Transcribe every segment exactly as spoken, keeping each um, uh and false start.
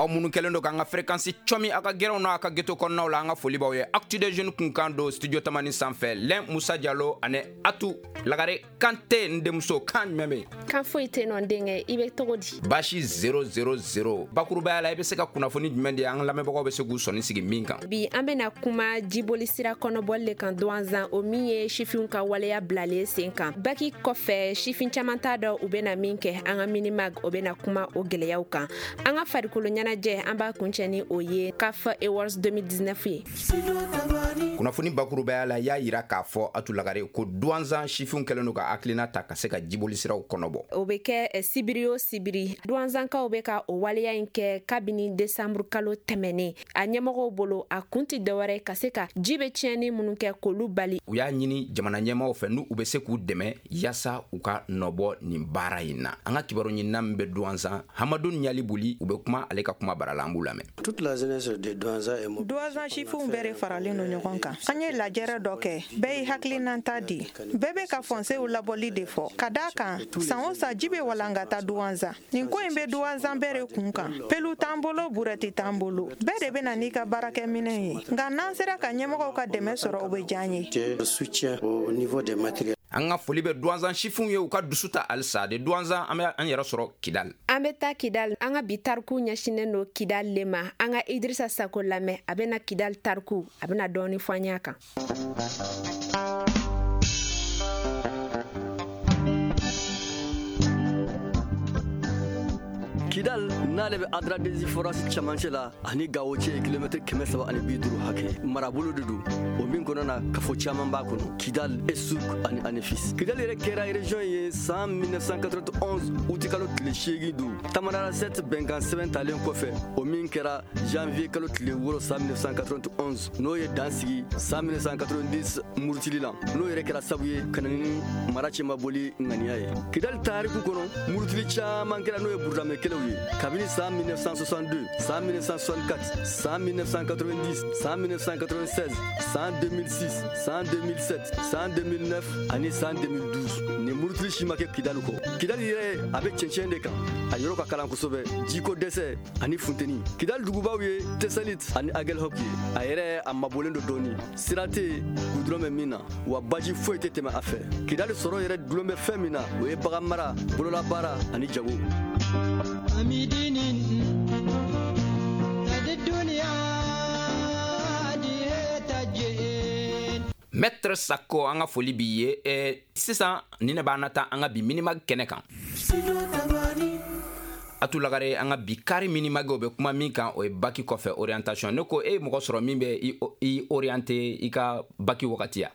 Aw minnu kɛlen don k'an ka fréquence cɔmi a ka gɛrɛnw n'a ka ghetto kɔnɔnaw la, an ka foli b'aw ye. Actu des jeunes kunkan don studio Tamani sanfɛ, Lɛn Musa Jalo ani Atu Lagare Kante n denmuso. Kan jumɛn bɛ yen? Kan foyi tɛ nɔ n denkɛ, i bɛ cogo di? Baasi zéro zéro zéro. Bakurubaya la, i bɛ se ka kunnafoni jumɛn di an lamɛnbagaw bɛ se k'u sɔnni sigi min kan? Bi an bɛna kuma jiboli sira kɔnɔbɔli le kan Douentza, o min ye sifinw ka waleya bilalen sen kan. Baki kɔfɛ, sifin caman t'a dɔn u bɛna min kɛ. An ka minimag o bɛna kuma o gɛlɛyaw kan. An ka farikolo ɲɛnajɛ, an b'a kuncɛ ni o ye CAF Awards deux mille dix-neuf ye. Kunnafoni bakurubaya la, y'a yira k'a fɔ Atu Lagare ko Douentza sifinw kɛlen don ka hakilina ta ka se ka jiboli siraw kɔnɔbɔ. O bɛ kɛ sibiri o sibiri. Douentzakaw bɛ ka o waleya in kɛ kabini décembre kalo tɛmɛnen. A ɲɛmɔgɔw bolo, a kun tɛ dɔwɛrɛ ka se ka ji bɛ tiɲɛni minnu kɛ k'olu bali. U y'a ɲini jamana ɲɛmaaw fɛ n'u bɛ se k'u dɛmɛ yaasa u ka nɔbɔ nin baara in na. An ka kibaru ɲinina min bɛ Douentza, Hamadu Ɲalibuli, u bɛ kuma ale ka kuma bara la, an b'u lamɛn. Toute la jeunesse de Douentza est mobilisée. Douentza sifinw bɛɛ de faralen don ɲɔgɔn kan. An ye lajɛrɛ dɔ kɛ, bɛɛ y'i hakilinata di. Bɛɛ bɛ ka fɔnsew labɔli de fɔ. Ka d'a kan, san o san ji bɛ walankata Douentza. Nin ko in bɛ Douentza bɛɛ de kun kan. Pelu t'an bolo, burɛti t'an bolo. Bɛɛ de bɛ na n'i ka baarakɛminɛn ye. Nka n'an sera ka ɲɛmɔgɔw ka dɛmɛ sɔrɔ, o bɛ diya an ye. Soutien au niveau des matériels. An ka foli bɛ Douentza sifinw ye, u ka dusu ta halisa de. Douentza, an bɛ an yɛrɛ sɔrɔ Kidal. An bɛ taa Kidal. An ka bi tariku ɲɛsinnen don Kidal le ma. An ka Idrissa Sako lamɛn, a bɛna Kidal tariku, a bɛna dɔɔni fɔ an ɲ'a kan. Kidal n'ale bɛ Adradezi forage cɛmancɛ la ani Gawo cɛ ye kilomɛtiri kɛmɛ saba ani bi duuru hakɛ. Marabolo de don, o min kɔnɔ na kafo caman b'a kɔnɔ. Kidal, Esuk ani Anefis. Kidal yɛrɛ kɛra région ye san mille neuf cent quatre-vingt-onze uti kalo tile seegin don. Tamanrasset bɛnkan sɛbɛn talen kɔfɛ, o min kɛra janvier kalo tile wɔɔrɔ san mille neuf cent quatre-vingt-onze, n'o ye dan sigi san mille neuf cent quatre-vingt-dix murutili la, n'o yɛrɛ kɛra sabu ye ka na ni mara cɛmaboli ŋaniya ye. Kidal tariku kɔnɔ, murutili caman kɛra, n'o ye burudamɛ kɛlɛw ye. Kabini san mille neuf cent soixante-deux, san mille neuf cent soixante-quatre, san mille neuf cent quatre-vingt-dix, san mille neuf cent quatre-vingt-seize, san deux mille six, san deux mille sept, san deux mille neuf ani san deux mille douze. Nin murutili si ma kɛ Kidal kɔ. Kidal yɛrɛ a bɛ cɛncɛn de kan, a yɔrɔ ka kalan kosɛbɛ, jiko dɛsɛ ani funteni. Kidal dugubaw ye Tessalit ani Aguelhok ye. A yɛrɛ a mabɔlen don dɔɔni, sira tɛ yen gudɔrɔn bɛ min na, wa baji foyi tɛ tɛmɛ a fɛ. Kidal sɔrɔ yɛrɛ dulon bɛ fɛn min na, o ye bagan mara, bololabaara ani jago. Maître Sako, an ka foli b'i ye. Eh, sisan ni ne b'an nata an ka bi minimag kɛnɛ kan. Atu Lagare, an ka bi kari minimag o bɛ kuma min kan, o ye baki kɔfɛ orientation. Ne ko e ye mɔgɔ sɔrɔ min bɛ i, i orienté i ka baki wagati ya?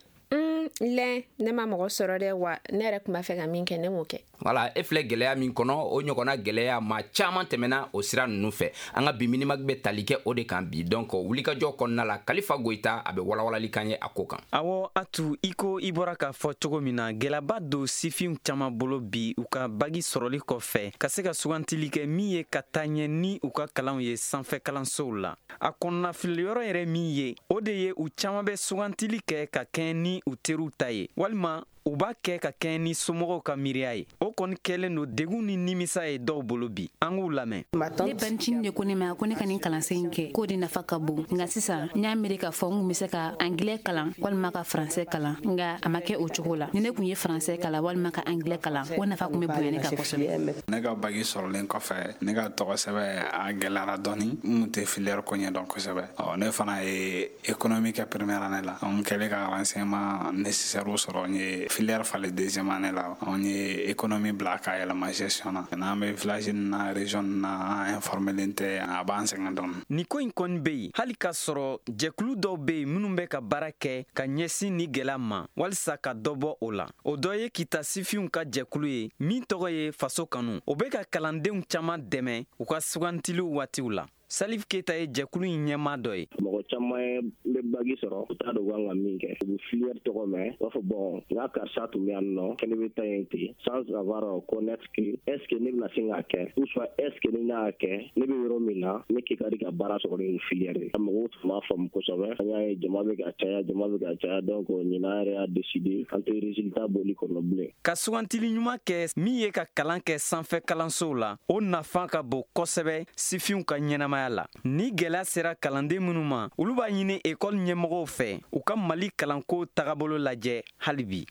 Lɛn, ne ma mɔgɔ sɔrɔ dɛ, wa ne yɛrɛ tun b'a fɛ ka min kɛ, ne m'o kɛ. Wala, e filɛ gɛlɛya min kɔnɔ, o ɲɔgɔnna gɛlɛya maa caman tɛmɛna o sira ninnu fɛ. An ka bi minimag bɛ tali kɛ o de kan bi. Donc wulikajɔ kɔnɔna la, Kalifa Goyita a bɛ walawalali kan ye a ko kan. Awɔ Atu, i ko i bɔra k'a fɔ cogo min na, gɛlɛyaba don sifinw caman bolo bi u ka bagi sɔrɔli kɔfɛ ka se ka sugantili kɛ min ye ka taa ɲɛ ni u ka kalanw ye sanfɛ kalansow la. A kɔnɔnafiliyɔrɔ yɛrɛ min ye, o de ye u caman bɛ sugantili kɛ ka kɛɲɛ ni u teriw ta ye, walima u b'a kɛ ka kɛɲɛ ni somɔgɔw ka miiriya ye. O kɔni kɛlen don degun ni nimisa ye dɔw bolo bi. An k'u lamɛn. Ne bancinin de ko ne ma ko ne ka nin kalansen in kɛ, k'o de nafa ka bon. Nka sisan n y'a miiri k'a fɔ n kun bɛ se ka angilɛ kalan walima ka faransɛ kalan, nka a ma kɛ o cogo la. Ni ne kun ye faransɛ kalan walima ka angilɛ kalan, o nafa kun bɛ bonya ne kan kosɛbɛ. Ne ka bagi sɔrɔlen kɔfɛ, ne ka tɔgɔ sɛbɛn a gɛlɛyara dɔɔni. N kun tɛ filière ko ɲɛdɔn kosɛbɛ. Ɔ ne fana ye économie kɛ première année la. N kɛlen ka renseignement nécessaire sɔrɔ, n ye filière falen deuxième année la. An ye économie bila k'a yɛlɛma gestion na. N'an bɛ village na, région na, an informelen tɛ, a b'an sɛgɛn dɔɔni. Nin ko in kɔni bɛ yen hali k'a sɔrɔ jɛkulu dɔw bɛ yen minnu bɛ ka baara kɛ ka ɲɛsin ni gɛlɛya ma walisa ka dɔ bɔ o la. O dɔ ye Kita sifinw ka jɛkulu ye min tɔgɔ ye Faso Kanu. O bɛ ka kalandenw caman dɛmɛ u ka sugantiliw waatiw la. Salif Keita ye jɛkulu in ɲɛmaa dɔ ye. Mɔgɔ caman bɛ bagi sɔrɔ, u t'a dɔn u kan ka min kɛ. U bɛ filière tɔgɔ mɛn, u b'a fɔ bon n ka karisa tun bɛ yan nɔ, kɛnɛ bɛ taa yen ten, sans avoir connaître que est ce que ne bɛna se k'a kɛ, ou soit est ce que ni ne y'a kɛ, ne bɛ yɔrɔ min na, ne kɛ ka di ka baara sɔrɔ ni filière ye. Mɔgɔw tun b'a faamu kosɛbɛ. An y'a ye jama bɛ ka caya, jama bɛ ka caya, donc ɲinan yɛrɛ y'a décidé an tɛ résultat bɔli kɔnɔ bilen. Ka sugantili ɲuman kɛ min ye ka kalan kɛ sanfɛ kalansow la, o nafa ka bon kosɛbɛ sifinw ka ɲɛnamaya ɲɛnamaya la. Ni gɛlɛya sera kalanden minnu ma, olu b'a ɲini ekɔli ɲɛmɔgɔw fɛ u ka Mali kalanko tagabolo lajɛ hali bi.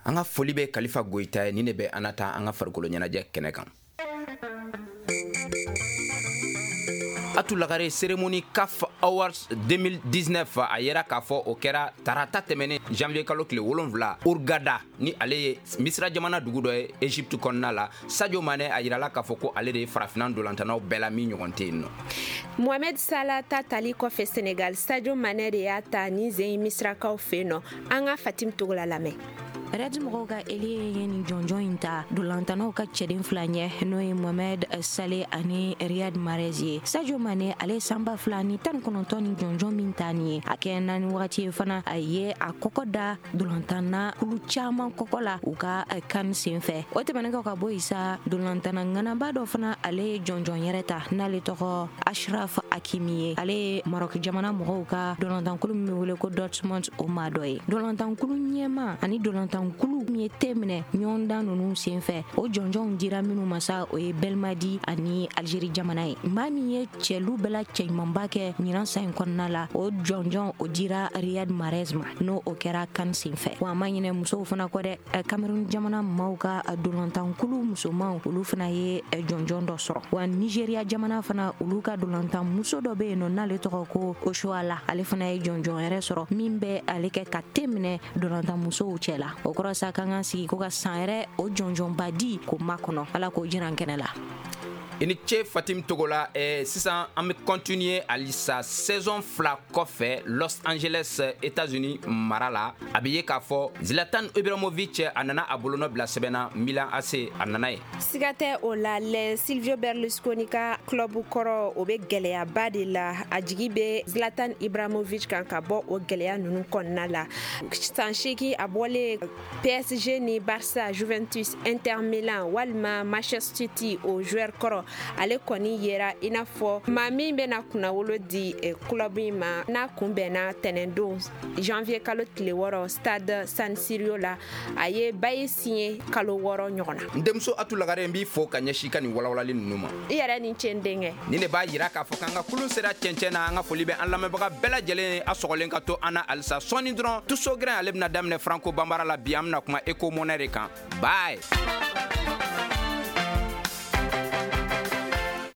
An ka foli bɛ Kalifa Goyita ye. Ni ne bɛ an na taa an ka farikolo ɲɛnajɛ kɛnɛ kan. Atou Lagare, cérémonie C A F Awards deux mille dix-neuf, a yera k'a fɔ o kɛra tarata tɛmɛnen, janvier kalo tile wolonfila, Hurghada, ni ale ye Misira jamana dugu dɔ ye Egypte kɔnɔna la. Sadio Mane, a yirala k'a fɔ ko ale de ye farafinna dolantanaw bɛɛ la min ɲɔgɔn tɛ yen nɔ. Mohamed Salah ta tali kɔfɛ Senegal, Sadio Mane de y'a ta ni zen Misirakaw fɛ yen nɔ. An ka Fatim Togola lamɛn. Reds mɔgɔw ka ailier ye nin jɔnjɔn in ta dolantanaw ka cɛden fila ɲɛ, n'o ye Mohamed Salah ani Riyad Mahrez ye. Sadio Mane, ale san ba fila ni tan kɔnɔntɔn ni jɔnjɔn min ta nin ye, a kɛ naani wagati ye fana, a ye a kɔkɔ da dolantanna kulu caman kɔkɔ la u ka kan sen fɛ. O tɛmɛnen kɔ ka bɔ yen sa, dolantanna ŋanaba dɔ fana, ale ye jɔnjɔn yɛrɛ ta, n'ale tɔgɔ Achraf Hakimi ye. Ale ye Maroc jamana mɔgɔw ka dolantankulu min bɛ wele ko Dortmund, o maa dɔ ye. Dolantankulu ɲɛma ani dolantankulu min ye te minɛ ɲɔgɔndan ninnu sen fɛ, o jɔnjɔnw dira minnu ma sa, o ye Belmadi ani Algérie jamana ye. Maa min ye cɛlu bɛɛ la cɛɲumanba kɛ ɲinan san in kɔnɔna la, o jɔnjɔn o dira Riyad Mahrez ma, n'o o kɛra kan sen fɛ. Wa a ma ɲinɛ musow fana kɔ dɛ. Cameroun jamana maaw ka dolantankulu musomanw, olu fana ye jɔnjɔn dɔ sɔrɔ. Wa Nigeria jamana fana, olu ka dolantan muso dɔ bɛ yen nɔ, n'ale tɔgɔ ko Oshoala, ale fana ye jɔnjɔn yɛrɛ sɔrɔ min bɛ ale kɛ ka te minɛ dolantan musow cɛ la. O kɔrɔ sa, k'an ka sigi ko ka san yɛrɛ o jɔnjɔnba di k'o makɔnɔ. Ala k'o jiran kɛnɛ la. I ni ce, Fatim Togola. eh, sisan an bɛ continuer halisa. Saison fila kɔfɛ, Los Angeles, États-Unis mara la, a bɛ ye k'a fɔ Zlatan Ibrahimovic, a nana a bolonɔ bila sɛbɛn na Milan A C, a nana ye. Siga tɛ o la lɛ, Silvio Berlusconi ka club kɔrɔ, o bɛ gɛlɛyaba de la. A jigi bɛ Zlatan Ibrahimovic kan ka bɔ o gɛlɛya ninnu kɔnɔna la. San seegin a bɔlen P S G ni Barça, Juventus, Inter Milan walima Manchester City, o joueur kɔrɔ, ale kɔni yera i n'a fɔ maa min bɛna kunnawolo di club in ma, n'a kunbɛnna tɛnɛndon, janvier kalo tile wɔɔrɔ, stade San Siro la. A ye bail signé kalo wɔɔrɔ ɲɔgɔn na. N denmuso Atu Lagare, n b'i fo ka ɲɛsin ka nin walawalali ninnu ma. I yɛrɛ ni ce, n denkɛ. Ni ne b'a yira k'a fɔ k'an ka kulun sera cɛncɛn na. An ka foli bɛ an lamɛnbaga bɛɛ lajɛlen, a sɔgɔlen ka to an na halisa. Sɔɔni dɔrɔn, Tuso Grin, ale bɛna daminɛ Franco Banbara la. Bi an bɛna kuma éco monnaie de kan. Bye.